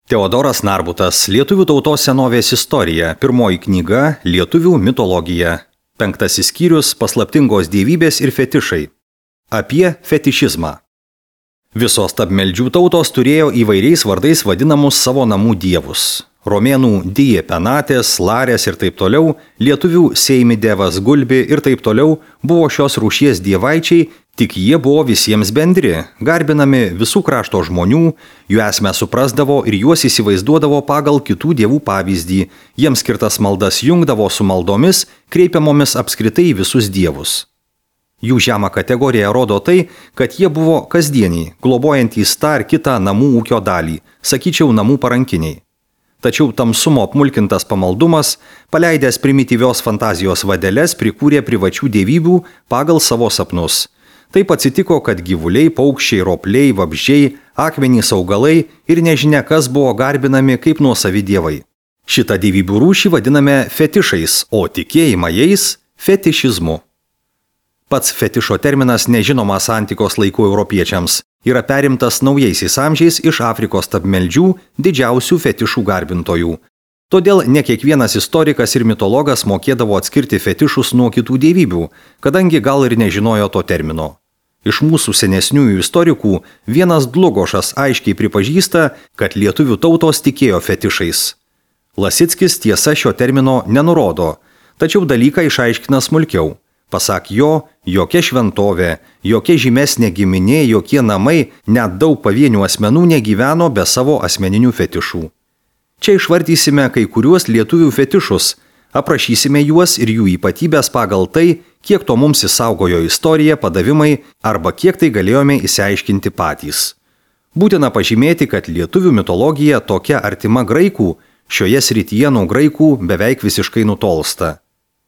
Teodoras Narbutas, Lietuvių tautos senovės istorija, pirmoji knyga Lietuvių mitologija. 5 skyrius Paslaptingos dievybės ir fetišai. Apie fetišizmą. Visos stabmeldžių tautos turėjo įvairiais vardais vadinamus savo namų dievus. Romėnų Die Penatės, Larės ir taip toliau, lietuvių Seimidevas, Gulbi ir taip toliau buvo šios rūšies dievaičiai, tik jie buvo visiems bendri, garbinami visų krašto žmonių, jų esmę suprasdavo ir juos įsivaizduodavo pagal kitų dievų pavyzdį, jiems skirtas maldas jungdavo su maldomis, kreipiamomis apskritai į visus dievus. Jų žemą kategoriją rodo tai, kad jie buvo kasdieniai, globojantys tą ar kitą namų ūkio dalį, sakyčiau namų parankiniai. Tačiau tamsumo apmulkintas pamaldumas, paleidęs primityvios fantazijos vadeles, prikūrė privačių dievybių pagal savo sapnus. Taip atsitiko, kad gyvuliai, paukščiai, ropliai, vabzdžiai, akmenys, augalai ir nežinia kas buvo garbinami kaip nuosavi dievai. Šitą dievybių rūšį vadiname fetišais, o tikėjimą jais fetišizmu. Pats fetišo terminas nežinomas antikos laikų europiečiams, yra perimtas naujaisiais amžiais iš Afrikos stabmeldžių didžiausių fetišų garbintojų. Todėl ne kiekvienas istorikas ir mitologas mokėdavo atskirti fetišus nuo kitų dievybių, kadangi gal ir nežinojo to termino. Iš mūsų senesniųjų istorikų vienas Dlugošas aiškiai pripažįsta, kad lietuvių tautos tikėjo fetišais. Lasickis tiesa šio termino nenurodo, tačiau dalyką išaiškina smulkiau. Pasak jo, jokia šventovė, jokia žymesnė giminė, jokie namai, net daug pavienių asmenų negyveno be savo asmeninių fetišų. Čia išvardysime kai kuriuos lietuvių fetišus, aprašysime juos ir jų ypatybės pagal tai, kiek to mums įsaugojo istorija, padavimai arba kiek tai galėjome išsiaiškinti patys. Būtina pažymėti, kad lietuvių mitologija tokia artima graikų, šioje srityje nuo graikų beveik visiškai nutolsta.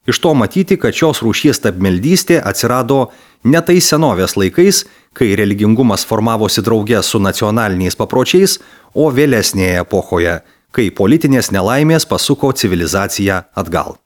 Iš to matyti, kad šios rūšies stabmeldystė atsirado ne tai senovės laikais, kai religingumas formavosi drauge su nacionaliniais papročiais, o vėlesnėje epochoje, kai politinės nelaimės pasuko civilizaciją atgal.